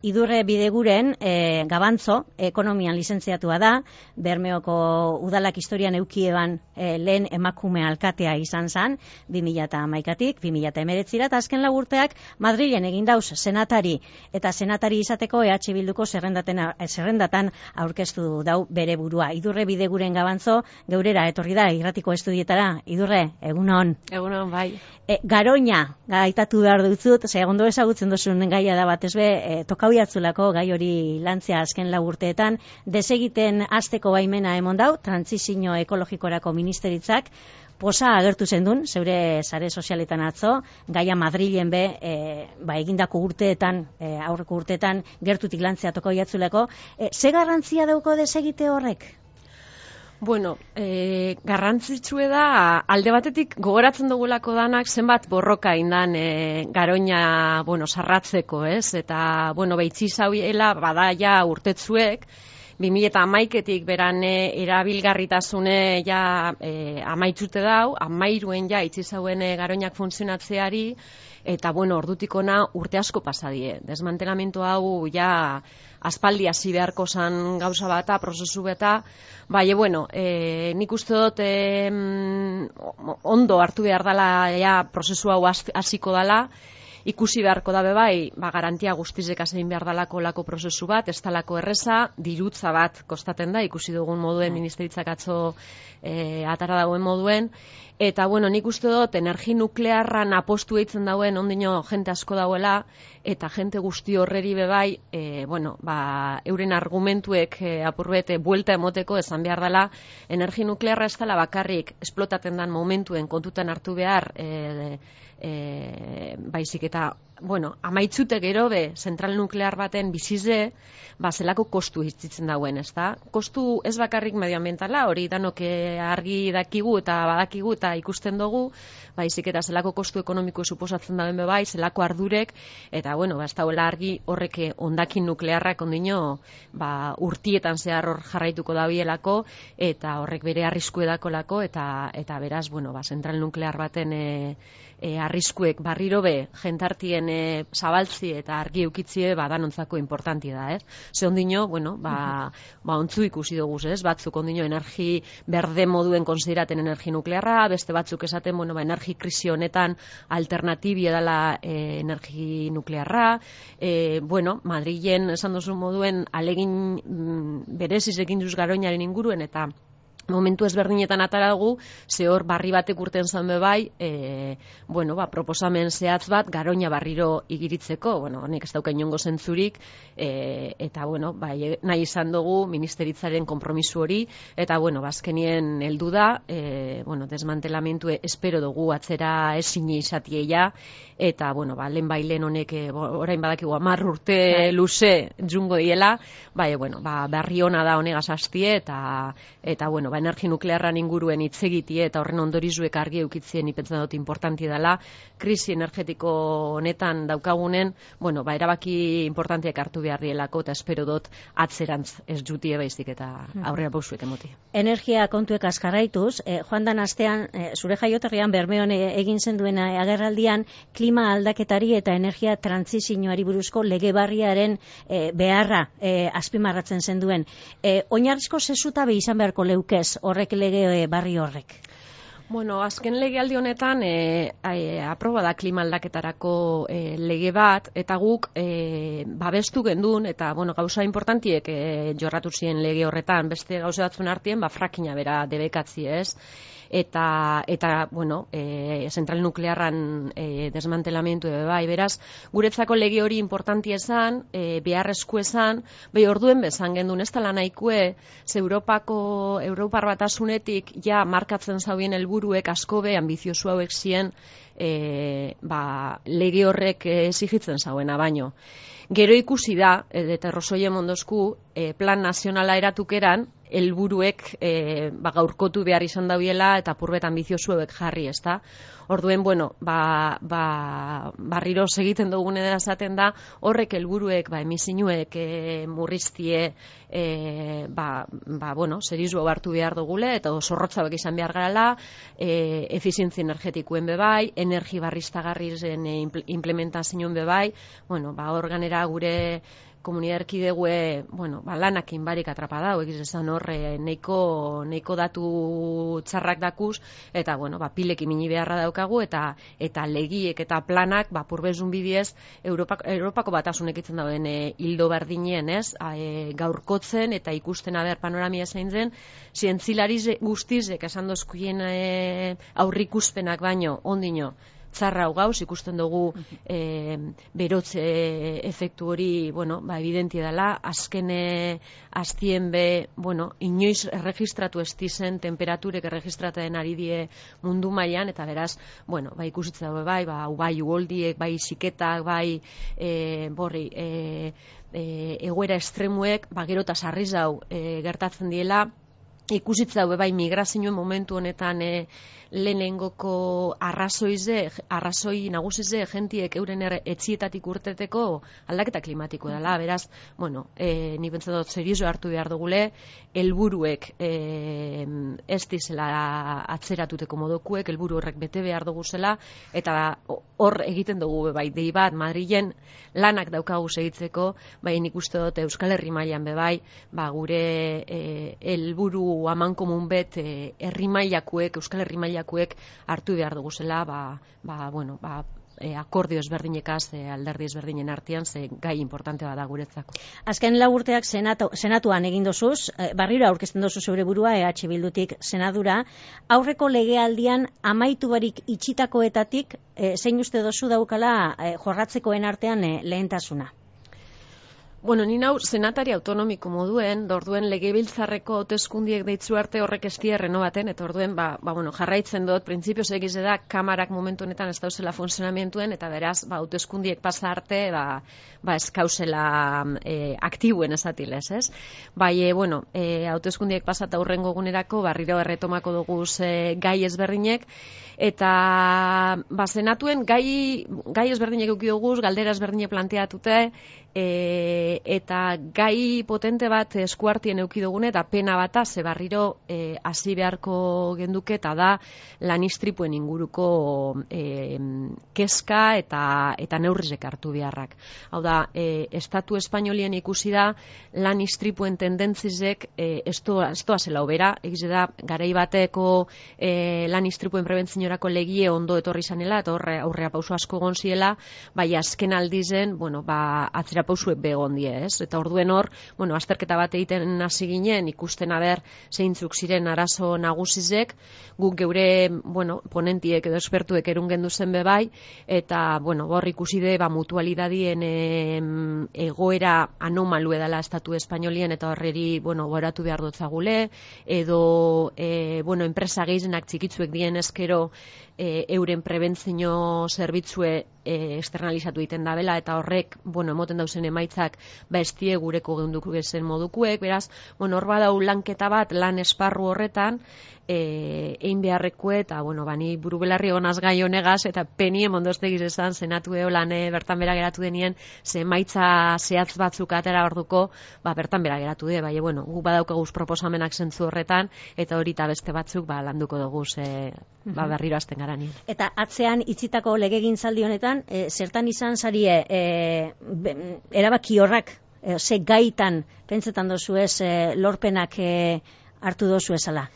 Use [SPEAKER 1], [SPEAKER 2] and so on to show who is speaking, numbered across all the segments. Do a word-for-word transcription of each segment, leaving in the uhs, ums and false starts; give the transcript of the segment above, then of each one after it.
[SPEAKER 1] Idurre Bideguren e, Gabantzo, ekonomian lizentziatua da, Bermeoko udalak historian eukieban e, lehen emakume alkatea izan zan, bi mila hamaikatik, bi mila hemeretzira, eta azken lau urteak Madrilen egin dauz senatari, eta senatari izateko E H Bilduko zerrendatan aurkeztu dau bere burua. Idurre Bideguren Gabantzo, geurera etorri da, irratiko estudietara. Idurre, egunon.
[SPEAKER 2] Egunon, bai.
[SPEAKER 1] E, Garoña, gaitatu behar dutzut, ze ondo ezagutzen duzun gaia da batez be, e, tokau jatzulako gai hori lantzea azken lau urteetan, desegiten hasteko baimena emon dau, trantsizio ekologikorako ministeritzak, posa agertu zendun, zeure sare sozialetan atzo, gaia Madrilen be, e, ba, egindako urteetan, e, aurreko urteetan, gertutik lantzea tokau jatzulako, e, ze garrantzia dauko desegite horrek?
[SPEAKER 2] Bueno, e, garrantzitsue da, alde batetik gogoratzen dugulako danak zenbat borroka indan e, Garoña, bueno, sarratzeko, ez? Eta, bueno, behitzi zauiela, badaia urtetzuek, bi mila hamaiketik beran e, erabilgarritasune ja e, amaitzute dau, amairuen ja itzi zauen e, Garoñak funtzionatzeari, eta, bueno, ordutik ona urte asko pasadie. Desmantelamentu hau ja aspaldi hasi beharko zan gauza bata, prozesu beta, bai, bueno, e, nik uste dut e, ondo hartu behar dela ja prozesu hau hasiko dela, ikusi beharko dabe bai, ba, garantia guztizek azein behar dalako lako prozesu bat, ez dalako erreza, dirutza bat kostaten da, ikusi dugun moduen, ministeritzak atzo e, atara dagoen moduen, eta, bueno, nik uste dut, energi nuklearran apostu eitzen dauen, ondino jente asko dauela, eta jente guzti horreri bebai, e, bueno, ba, euren argumentuek e, apurbete buelta emoteko esan behar dela, energi nuklearra ez dela bakarrik esplotaten dan momentuen kontutan hartu behar, e, e, baizik eta, bueno, amaitzute gero be, zentral nuklear baten bizize, ba, zelako kostu hitzitzen dauen, ez da? Kostu ez bakarrik medioambientala, hori danok argi dakigu eta badakigu eta ikusten dugu, baizik eta zelako kostu ekonomiko suposatzen dauen bebai, zelako ardurek, eta, bueno, ba, ez dauela argi horreke ondakin nuklearrak ondino, ba, urtietan zehar hor jarraituko dabielako, eta horrek bere arrisku edakolako, eta, eta beraz, bueno, ba, zentral nuklear baten e, e, arriskuek barriro be, jentartien e, zabaltzi eta argi eukitzie ba, danontzako importanti da, ez? Ze ondino, bueno, ba, ba ontzu ikusi dugu, ez? Batzuk ondino energi berde moduen konsideraten energi nuklearra, beste batzuk esaten, bueno, ba, energi krisi honetan alternatibia dela e, energi nuklearra, e, bueno, Madrilen esan duzu moduen alegin mm, bereziz egin duz Garoñaren inguruen, eta momentu ezberdinetan atara dugu, ze hor barri batek urten zan bebai, e, bueno, ba, proposamen zehatz bat Garoña barriro igiritzeko, bueno, honek ez dauka inongo zentzurik, e, eta, bueno, ba, nahi izan dugu ministeritzaren konpromisu hori, eta, bueno, bazkenien heldu da, e, bueno, desmantelamentu espero dugu atzera ezin izatieia, eta, bueno, ba, lehen bailen honek, e, orain badakigu hamar urte luze jungo diela, bai, bueno, ba, berri ona da honegaz hastie, eta, eta, bueno, ba, energi nuklearran inguruen hitz egitie eta horren ondorizuek argi eukitzien ipentzen dut importanti dela, krisi energetiko honetan daukagunen, bueno, ba, erabaki importantiak hartu behar dielako, eta espero dut atzerantz ez jutie baizik eta aurrera pausuek emoti.
[SPEAKER 1] Energia kontuek azkarraituz, eh, joan dan astean, eh, zure jaioterrian Bermeon egin zenduen agerraldian, klima aldaketari eta energia trantsizioari buruzko lege barriaren eh, beharra eh, azpimarratzen zenduen. Eh, oinarrizko zezutabe izan beharko leukez horrek lege barri horrek?
[SPEAKER 2] Bueno, azken legealdi honetan e, e, aproba da klima aldaketarako e, lege bat, eta guk e, babestu gendun, eta bueno, gauza importantiek e, jorratu ziren lege horretan, beste gauza batzun artien, ba, frakina bera debekatzi, ez? Eta, eta bueno, e, zentral nuklearran e, desmantelamentu ebe bai, beraz, guretzako lege hori importanti esan, e, beharrezko esan, behi orduen bezan gendun, ez tala nahikue, ze Europako, Europar batasunetik ja markatzen zaubien helburuek asko be ambiziosu hauek zien, e, ba, lege horrek exigitzen zauena baino. Gero ikusi da, eta Rosoie Mondosku, e, plan nazionala eratukeran, helburuek e, ba, gaurkotu behar izan dabiela eta purbet ambiziosuek jarri, ezta? Orduen, bueno, ba, ba, barriro segiten dugun edera esaten da, horrek helburuek, ba, emisinuek e, murriztie, e, ba, ba, bueno, serizu hartu behar dugule, eta zorrotzabek izan behar garala, e, efizientzia energetikuen bebai, energi barriztagarrizen e, implementazioen bebai, bueno, ba, organera gure komunidade erkidegue, bueno, ba, lanakin barik atrapadau, egiz esan hor, e, neiko, neiko datu txarrak dakuz, eta, bueno, ba, pilek imini beharra daukagu, eta eta legiek eta planak, ba, purbezun bidiez, Europak, Europako batasunek itzen dauden e, hildo berdinien, ez, e, gaurkotzen, eta ikusten aber panoramia zein zen, zientzilari guztizek esan dozkuien e, aurrikuspenak baino, ondino, txarra hau gauz, ikusten dugu e, berotze efektu hori, bueno, ba, evidentia dela, azkene aztien be, bueno, inoiz erregistratu estizen, temperaturek erregistratzen ari die mundu mailan, eta beraz, bueno, ba, ikusitza dago bai, ba, bai ugoldiek, bai siketak, bai, e, borri, e, e, egoera estremuek, ba, gero eta sarriz hau e, gertatzen diela, ikusitza dago bai, migrazioen momentu honetan e, lehenengoko arrazoize, arrazoi nagusize jentiek euren etxietatik urteteko aldaketa klimatiko dela. Beraz, bueno, e, ni pentsa dut serioso hartu behar dugule, helburuek e, ez dizela atzeratuteko modukuek, helburu horrek bete behar dugu zela, eta hor egiten dugu bai, dei bat, Madrilen lanak daukagu segitzeko, bai nik uste dut Euskal Herri mailan be bai, ba, gure helburu amankomun bet e, herri mailakuek, Euskal Herri mailakuek hartu behar dugu zela, ba, ba, bueno, ba, e, akordio ezberdinekaz, e, alderdi ezberdinen artean, ze gai importante bada guretzako.
[SPEAKER 1] Azken lau urteak senatu, senatuan egin dozuz, e, barriro aurkezten dozu zeure burua, E H Bildutik senadura, aurreko legealdian amaitu barik itxitakoetatik, e, zein uste dozu daukala e, jorratzekoen artean e, lehentasuna?
[SPEAKER 2] Bueno, ni nau senatari autonomiko moduen, orduen legebiltzarreko hauteskundiek deitzu arte horrek ez die renovaten, eta orduen ba, ba, bueno, jarraitzen dut, printzipioz egiz da, kamarak momentu honetan ez dauzela funtzionamientuen, eta beraz, ba, hauteskundiek pasa arte, ba, ba ez kausela e, aktibuen esatilez, ez? Bai, e, bueno, e, hauteskundiek pasata hurrengo gunerako, barriro erretomako dugu e, gai ezberdinek, eta ba, senatuen gai, gai ezberdinek euki dugu, galdera ezberdinek planteatute, E, eta gai potente bat eskuartien euki dugune, eta pena bata, ze barriro e, hasi beharko genduke, eta da lan istripuen inguruko e, keska eta, eta neurrizek hartu beharrak. Hau da, e, Estatu Espainolien ikusi da lan istripuen tendentzizek e, estoa, estoa zela obera, egize da, garai bateko e, lan istripuen prebentzinorako legie ondo etorri zanela, eta horre aurrea pauso asko gonziela, bai azken aldizen, bueno, ba, atzera pausuek begon die, ez? Eta orduen hor, bueno, azterketa bat egiten hasi ginen, ikusten aber zeintzuk ziren arazo nagusizek, guk geure, bueno, ponentiek edo espertuek erun gendu zen bebai, eta, bueno, hor ikusi de, ba, mutualidadien e, egoera anomalu edala Estatu Espainolien, eta horreri, bueno, goratu behar dutzagule, edo, e, bueno, enpresa gehienak txikitzuek dien eskero, e, euren prebentzio zerbitzue e, externalizatu egiten dabela, eta horrek, bueno, emoten dauzen emaitzak, ba estie gureko geunduko gezen modukuek, beraz, bueno, hor badau lanketa bat, lan esparru horretan, e, egin beharrekue, eta, bueno, bani burubelarri honaz gai honegaz, eta penien mondoztegiz esan, senatu eo lan bertan bera geratu denien, ze emaitza zehatz batzuk atera orduko, ba, bertan bera geratu de, bai, bueno, gu badaukaguz proposamenak zentzu horretan, eta hori eta beste batzuk, ba, landuko dugu, ze, ba, berriro azten gara nien.
[SPEAKER 1] Eta atzean itzitako legegintzaldi honetan, e, zertan izan zarie, e, be, erabaki horrak, e, ze gaitan, pentsetan dozu ez, e, lorpenak e, hartu dozu ezala?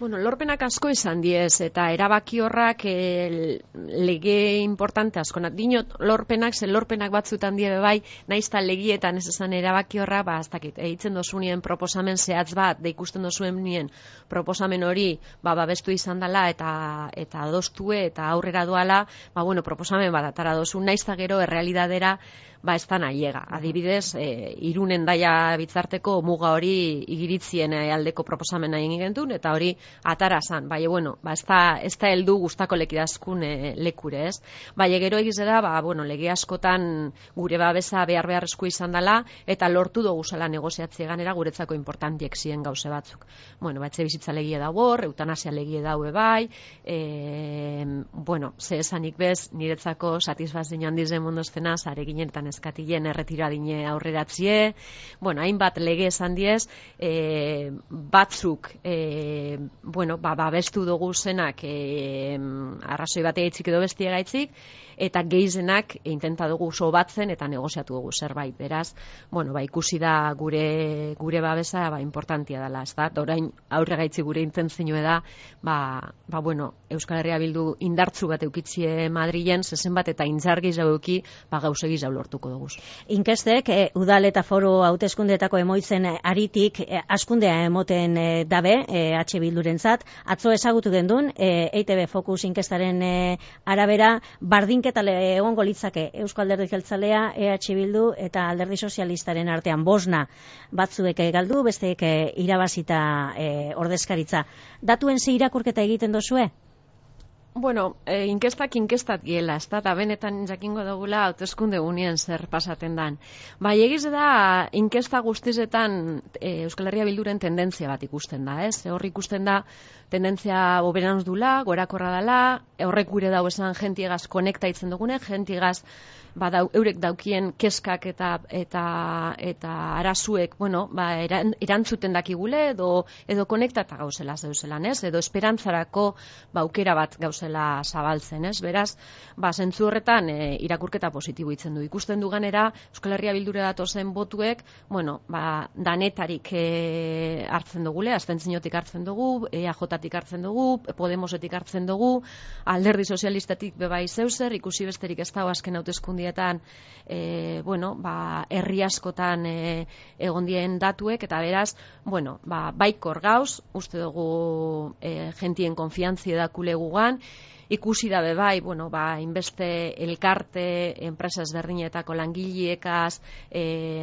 [SPEAKER 2] Bueno, lorpenak asko izan diez, eta erabaki horrak e, lege importante asko. Dinot, lorpenak, ze lorpenak batzutan die bai, naizta legietan ez esan erabaki horra, ba, ez dakit, eitzen dozunien proposamen zehatz bat, da ikusten dozuen nien proposamen hori, ba, babestu izan dela, eta eta adostue, eta aurrera doala, ba, bueno, proposamen bat atara dozun, naizta gero errealidadera, ba, ez da nahiega. Adibidez, e, Irunen daia bitzarteko muga hori igiritzien aldeko proposamena egin gentun, eta hori atara zan. Bai, bueno, ba, ez da, ez da heldu gustako lekidazkun e, lekure, ez? Bai, gero egizera, ba, bueno, lege askotan gure babesa behar beharrezko izan dela, eta lortu dugu zela negoziatzie ganera guretzako importantiek ziren gauze batzuk. Bueno, ba, etxe bizitza legie dago hor, eutanasia legie daue bai, e, bueno, ze esanik bez, niretzako satisfazio handiz den mondoztena, zare ginen eta neskatilen erretiradine aurreratzie, bueno, hainbat lege esan diez, e, batzuk, e, bueno, ba, babestu dugu zenak e, arrazoi batea itzik edo bestia gaitzik, eta geizenak intenta dugu oso batzen eta negoziatu dugu zerbait. Beraz, bueno, ba, ikusi da gure gure babesa ba, importantia dela, ez da? Orain aurre gaitzi gure intentzioa da, ba, ba, bueno, Euskal Herria Bildu indartzu bat eukitzie Madrilen, zezen bat eta intzar gehiago euki, ba, gauze gehiago lortuko dugu.
[SPEAKER 1] Inkestek, e, udal eta foro hauteskundeetako emoitzen aritik, e, askundea emoten e, dabe, e, H Bildurentzat, atzo ezagutu gendun, e, E I T B Focus inkestaren e, arabera, bardinke eta egongo litzake Eusko Alderdi Jeltzalea, E H Bildu eta Alderdi Sozialistaren artean bosna batzuek galdu, besteek irabazita e, ordezkaritza. Datuen ze irakurketa egiten dozue?
[SPEAKER 2] Bueno, e, inkestak inkestat giela, ez da, eta benetan jakingo dugula hauteskunde unien zer pasaten dan. Bai, egiz da, inkesta guztizetan e, Euskal Herria Bilduren tendentzia bat ikusten da, ez? Hor ikusten da, tendentzia boberanuz dula, gorakorra dela, horrek gure dau esan jentiegaz konekta itzen dugune, jentiegaz ba, dau, eurek daukien keskak eta eta eta arazuek, bueno, ba, eran, erantzuten dakigule edo edo konektata gauzela zeuzelan, ez? Edo esperantzarako ba, aukera bat gauzela zabaltzen, ez? Beraz, ba, zentzu horretan e, irakurketa positibo itzen du. Ikusten du ganera, Euskal Herria Bildura datozen botuek, bueno, ba, danetarik e, hartzen dugule, abstentziotik hartzen dugu, E A J-tik hartzen dugu, Podemosetik hartzen dugu, Alderdi Sozialistatik bebai zeuzer, ikusi besterik ez dago azken hauteskundietan, e, bueno, ba, herri askotan e, egon dien datuek, eta beraz, bueno, ba, baikor gauz, uste dugu e, jentien konfiantzi edakule gugan, ikusi dabe bai, bueno, ba, inbeste elkarte, enpresa ezberdinetako langileekaz, e,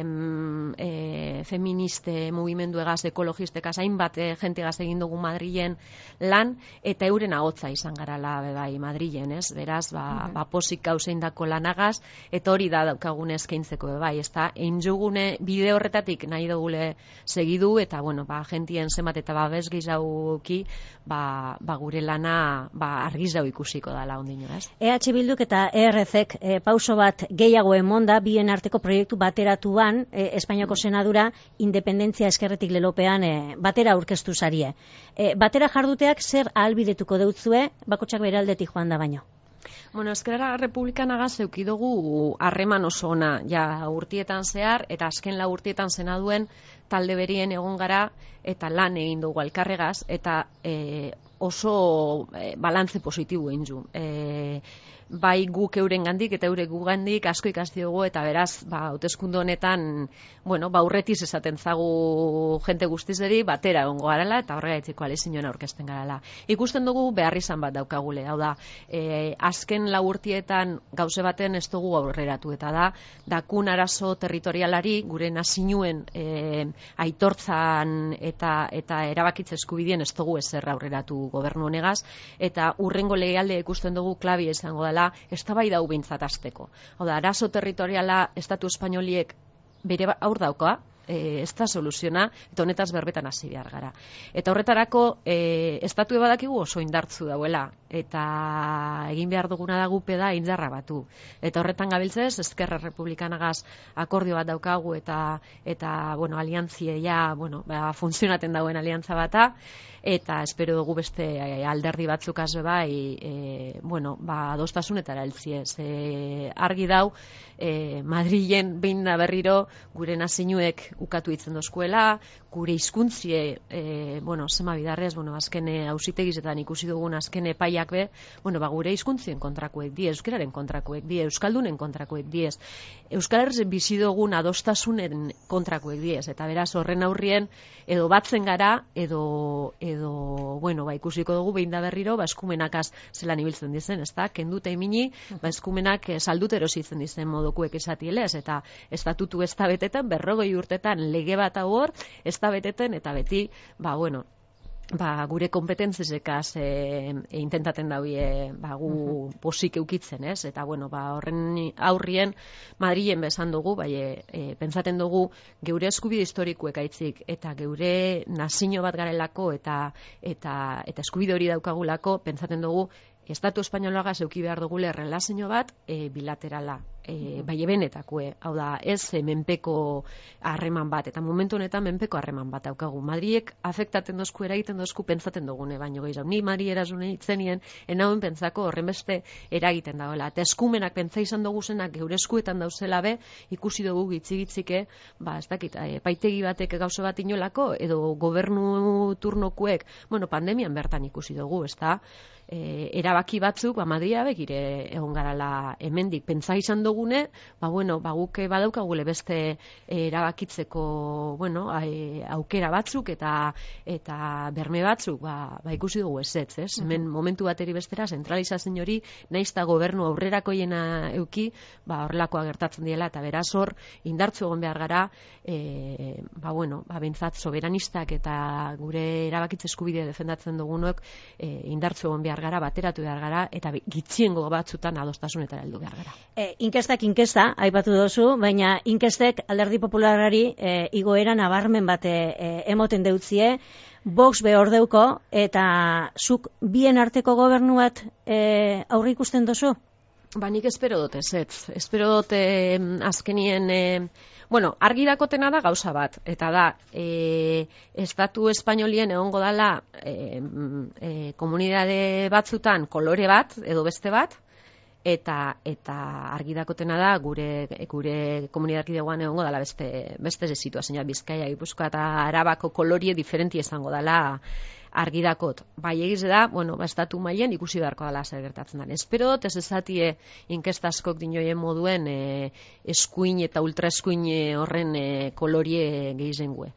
[SPEAKER 2] e, feministe, mugimenduegaz, ekologistekaz, hainbat e, jentegaz egin dugu Madrilen lan, eta euren ahotza izan garala be bai Madrilen, ez? Beraz, ba, mm -hmm. ba posik gauzein dako lanagaz, eta hori da daukagune eskaintzeko be bai, ez da, einjugune bide horretatik nahi dugule segidu, eta, bueno, ba, jentien zemat eta babes gizauki, ba, ba, gure lana, ba, argizau ikusiko dala ondino, ez?
[SPEAKER 1] E H Bilduk eta E R Zek e, pauso bat gehiago emonda, bien arteko proiektu bateratuan, e, Espainiako Senadura, independentzia eskerretik lelopean e, batera aurkeztu zarie. E, batera jarduteak zer ahalbidetuko deutzue, bakotxak bere aldetik joan da baino?
[SPEAKER 2] Bueno, Eskerra Republikanagaz eukidugu harreman oso ona, ja urtietan zehar, eta azken lau urtietan senaduen talde berien egon gara, eta lan egin dugu alkarregaz, eta e, oso e, balantze positibo egin du. E, bai guk euren gandik eta eure gugandik asko ikasti dugu, eta beraz, ba, hauteskunde honetan, bueno, ba, urretiz esaten zagu jente guztizeri, batera egongo garala, eta horregaitziko alizioen aurkezten garala. Ikusten dugu behar izan bat daukagule, hau da, e, azken lau urtietan gauze baten ez dugu aurreratu, eta da, dakun arazo territorialari, gure nazinuen e, aitortzan eta, eta erabakitze eskubidien ez dugu ezer aurreratu gobernu honegaz, eta urrengo legealde ikusten dugu klabia izango dela, eztabaida hau behintzat hasteko. Hau da, arazo territoriala Estatu Espainoliek bere aur dauka, e, ez da soluziona, eta honetaz berbetan hasi behar gara. Eta horretarako, e, estatu badakigu oso indartzu dauela, eta egin behar duguna da gupe da indarra batu. Eta horretan gabiltzez, Eskerra Republikanagaz akordio bat daukagu, eta, eta bueno, aliantzie ja, bueno, ba, funtzionaten dauen aliantza bata, eta espero dugu beste alderdi batzuk azbe bai, e, bueno, ba, adostasunetara heltziez. E, argi dau, e, Madrilen behin da berriro gure nazinuek ukatu itzen dozkuela, gure hizkuntzie, e, bueno, zema bidarrez, bueno, azkene auzitegizetan ikusi dugun azkene epaiak be, bueno, ba, gure hizkuntzien kontrakoek die, euskararen kontrakoek die, euskaldunen kontrakoek diez, Euskal Herriz bizi dugun adostasunen kontrakoek diez, eta beraz horren aurrien edo batzen gara, edo, edo bueno, ba, ikusiko dugu behin da berriro, ba, eskumenakaz zelan ibiltzen dizen, ez da, kenduta emini, ba, eskumenak saldut erositzen dizen modukuek esatielez, eta estatutu ez da betetan, berrogei urtetan lege bat hor, ez da beteten, eta beti, ba, bueno, ba, gure kompetentzezekaz e, e, intentaten daue ba, gu posik eukitzen, ez? Eta, bueno, ba, horren aurrien Madrilen bezan dugu, bai, e, e, pentsaten dugu geure eskubide historikoek aitzik, eta geure nazio bat garelako, eta, eta, eta eskubide hori daukagulako, pentsaten dugu Estatu Espainolagaz euki behar dugule relazio bat e, bilaterala. e, bai ebenetakue, hau da, ez e, menpeko harreman bat, eta momentu honetan menpeko harreman bat daukagu. Madriek afektaten dozku, eragiten dozku, pentsaten dugune, baino gehiago. Ni Madri erazune itzenien, enauen pentsako horren beste eragiten dagoela. Eta eskumenak pentsa izan dugu zenak geure eskuetan dauzela be, ikusi dugu gitzi-gitzike, ba, ez dakit, epaitegi batek gauza bat inolako, edo gobernu turnokuek, bueno, pandemian bertan ikusi dugu, ez da? E, erabaki batzuk, ba, Madria begire egon garala hemendik pentsa izan dugune, ba, bueno, ba, guk badaukagule beste erabakitzeko, bueno, e, aukera batzuk eta eta berme batzuk, ba, ba ikusi dugu ezetz, ez? Hemen momentu bateri bestera, zentralizazio hori, naiz eta gobernu aurrerakoiena euki, ba, horrelakoa gertatzen diela, eta beraz hor, indartzu egon behar gara, e, ba, bueno, ba, bentsat soberanistak eta gure erabakitze eskubidea defendatzen dugunok, e, indartzu egon behar gara, bateratu behar gara, eta gitxiengo batzutan adostasunetara heldu behar gara.
[SPEAKER 1] E, inkestak inkesta, aipatu dozu, baina inkestek Alderdi Popularrari e, igoera nabarmen bate e, emoten deutzie, Vox behor deuko, eta zuk bien arteko gobernu bat e, aurre ikusten dozu?
[SPEAKER 2] Ba, nik espero dut ez, ez. Espero dut eh, azkenien... Eh, Bueno, argi dakotena da gauza bat, eta da, e, estatu espainolien egongo dala e, e, komunidade batzutan kolore bat, edo beste bat, eta eta argi dakotena da gure gure komunidadean egongo dala beste beste situazioa, Bizkaia, Gipuzkoa eta Arabako kolorie diferenti izango dala argi dakot. Bai egiz da, bueno, ba, estatu mailen ikusi beharko dela zer gertatzen den. Espero dut ez ezatie inkesta askok dinoien moduen e, eskuin eta ultraeskuin horren e, kolorie gehizengue.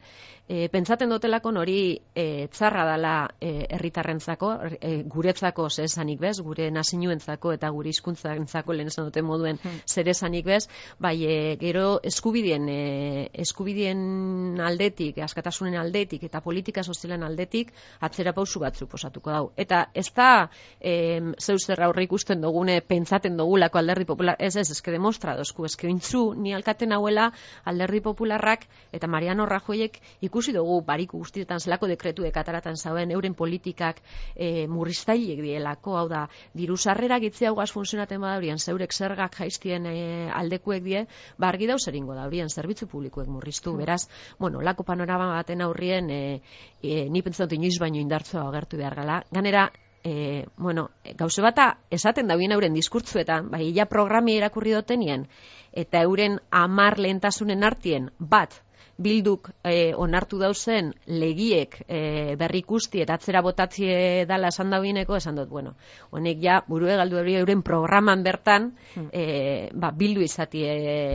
[SPEAKER 2] E, pentsaten dotelako hori e, txarra dela herritarrentzako, e, guretzako zeresanik bez, gure nazinuentzako eta gure hizkuntzantzako lehen esan duten moduen hmm. zeresanik bez, bai e, gero eskubidien e, eskubidien aldetik, askatasunen aldetik eta politika sozialen aldetik atzera pausu batzuk posatuko dau. Eta ez da e, zeu zer aurre ikusten dugune pentsaten dugulako Alderdi Popular, ez ez, eske demostra dozku, eske ointzu ni alkaten hauela Alderdi Popularrak eta Mariano Rajoyek ikusi dugu bariku guztietan zelako dekretuek ataratan zauen euren politikak e, murriztailek dielako, hau da, diru sarrera gitzi hau gaz funtzionaten badaurien, zeurek zergak jaiztien e, aldekuek die, ba argi dauz eringo daurien, zerbitzu publikoek murriztu, beraz, bueno, lako panorama baten aurrien, e, e, ni pentsatu inoiz baino indartzua agertu behar gala, ganera, E, bueno, gauze bata esaten dauen euren diskurtzuetan, bai, ja programi erakurri dotenien, eta euren amar lehentasunen artien, bat, Bilduk e, onartu dauzen legiek e, berrikusti eta atzera botatzie dala esan dauineko, esan dut, bueno, honek ja burue galdu hori euren programan bertan e, ba, Bildu izatie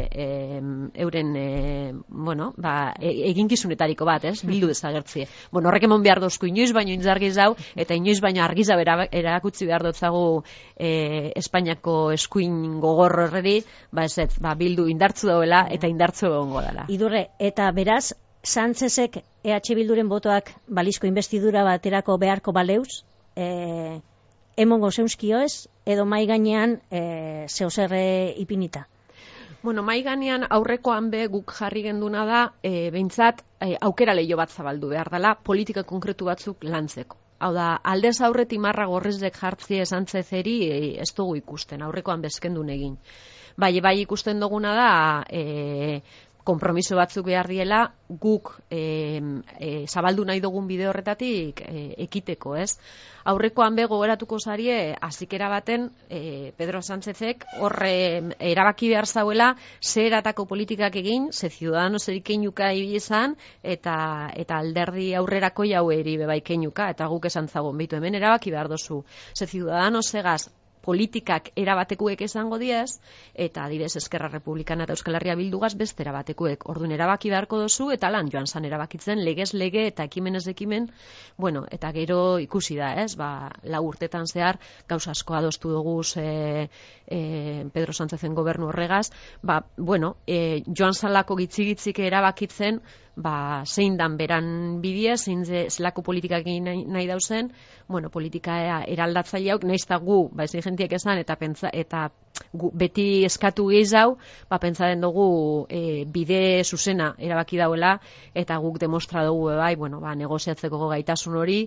[SPEAKER 2] e, euren e, bueno, ba, e, eginkizunetariko bat, ez? Bildu desagertzie. Bueno, horrek emon behar dozku inoiz baino intzargiz dau, eta inoiz baino argiza erakutsi behar dotzagu e, Espainiako eskuin gogor horreri, ba ez ez, ba, Bildu indartzu dauela eta indartzu egongo dela.
[SPEAKER 1] Idurre, eta beraz, Sánchezek E H Bilduren botoak balizko investidura baterako beharko baleuz, e, emongo zeuzkio ez, edo mai gainean e, zeuzerre ipinita?
[SPEAKER 2] Bueno, mai gainean aurrekoan be guk jarri genduna da, e, behintzat e, aukera leio bat zabaldu behar dela, politika konkretu batzuk lantzeko. Hau da, aldez aurretik marra gorrizek jartzie Sánchezeri e, ez dugu ikusten, aurrekoan bezkendun egin. Bai, bai ikusten duguna da, e, konpromiso batzuk behar diela, guk e, e, zabaldu nahi dugun bide horretatik e, ekiteko, ez? Aurrekoan be gogoratuko zarie, azikera baten, e, Pedro Sánchezek horre erabaki behar zauela, ze eratako politikak egin, ze Ciudadanos erikeinuka ibizan, eta, eta alderdi aurrerako jau eri bebaikeinuka, eta guk esan zagon, behitu hemen erabaki behar dozu, ze Ciudadanos egaz, politikak erabatekuek esango diez, eta adibidez Eskerra Republikana eta Euskal Herria Bildugaz beste erabatekuek. Orduan erabaki beharko dozu, eta lan joan zan erabakitzen legez lege eta ekimenez ekimen, bueno, eta gero ikusi da, ez, ba, lau urtetan zehar, gauza asko adostu dugu e, e, Pedro Sánchezen gobernu horregaz, ba, bueno, e, joan zalako gitzi-gitzik erabakitzen, ba, zein dan beran bidea, zein ze, zelako politikak egin nahi, nahi dauzen, bueno, politika eraldatzaileak, nahiz eta gu, ba, ez jentiek esan, eta pentsa, eta gu, beti eskatu gehiago, ba, pentsaren dugu e, bide zuzena erabaki dauela, eta guk demostra dugu, bai, bueno, ba, negoziatzeko gaitasun hori,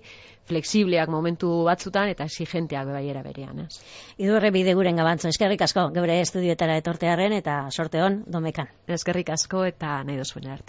[SPEAKER 2] fleksibleak momentu batzutan, eta exigenteak bai era berean, ez?
[SPEAKER 1] Idurre bide guren gabantzo, eskerrik asko, geure estudioetara etortearen, eta sorte hon, domekan.
[SPEAKER 2] Eskerrik asko, eta nahi duzuen arte.